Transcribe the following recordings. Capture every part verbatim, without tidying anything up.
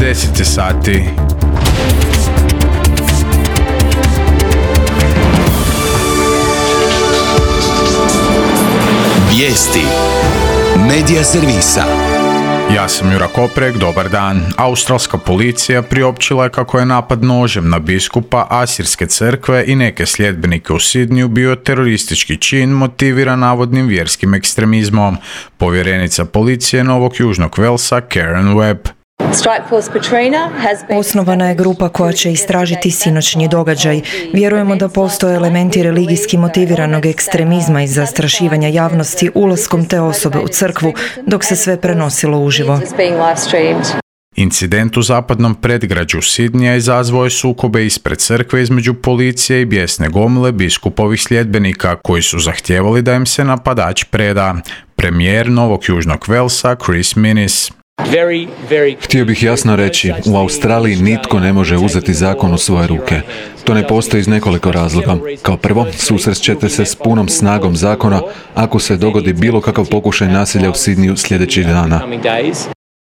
deset je sati. Vijesti Medija servisa. Ja sam Jura Koprek, dobar dan. Australska policija priopćila je kako je napad nožem na biskupa Asirske crkve i neke sljedbenike u Sidniju bio teroristički čin motiviran navodnim vjerskim ekstremizmom. Povjerenica policije Novog Južnog Velsa Karen Webb. Osnovana je grupa koja će istražiti sinoćnji događaj. Vjerujemo da postoje elementi religijski motiviranog ekstremizma i zastrašivanja javnosti ulaskom te osobe u crkvu, dok se sve prenosilo uživo. Incident u zapadnom predgrađu Sidnija izazvao je sukobe ispred crkve između policije i bijesne gomile biskupovih sljedbenika koji su zahtijevali da im se napadač preda. Premijer Novog Južnog Velsa Chris Minnis. Very, very... Htio bih jasno reći, u Australiji nitko ne može uzeti zakon u svoje ruke. To ne postoji iz nekoliko razloga. Kao prvo, susrest ćete se s punom snagom zakona ako se dogodi bilo kakav pokušaj nasilja u Sidniju sljedećih dana.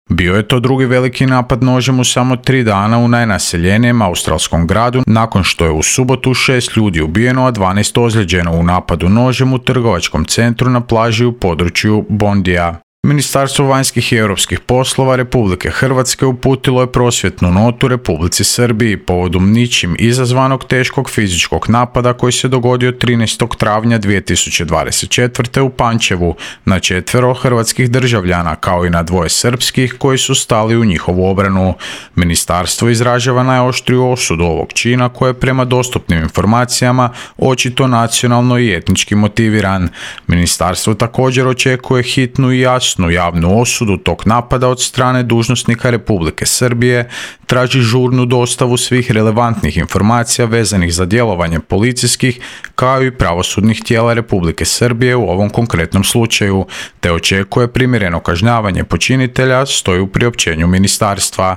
Bio je to drugi veliki napad nožem u samo tri dana u najnaseljenijem australskom gradu, nakon što je u subotu šest ljudi ubijeno, a dvanaest ozlijeđeno u napadu nožem u trgovačkom centru na plaži u području Bondija. Ministarstvo vanjskih i europskih poslova Republike Hrvatske uputilo je prosvjetnu notu Republici Srbiji povodom ničim izazvanog teškog fizičkog napada koji se dogodio trinaestog travnja dvije tisuće dvadeset četvrte. u Pančevu na četvero hrvatskih državljana kao i na dvoje srpskih koji su stali u njihovu obranu. Ministarstvo izražava najoštriju osudu ovog čina koje je prema dostupnim informacijama očito nacionalno i etnički motiviran. Ministarstvo također očekuje hitnu i jasnu javnu osudu tog napada od strane dužnosnika Republike Srbije, traži žurnu dostavu svih relevantnih informacija vezanih za djelovanje policijskih kao i pravosudnih tijela Republike Srbije u ovom konkretnom slučaju, te očekuje primjereno kažnjavanje počinitelja, stoji u priopćenju ministarstva.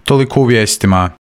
Toliko u vijestima.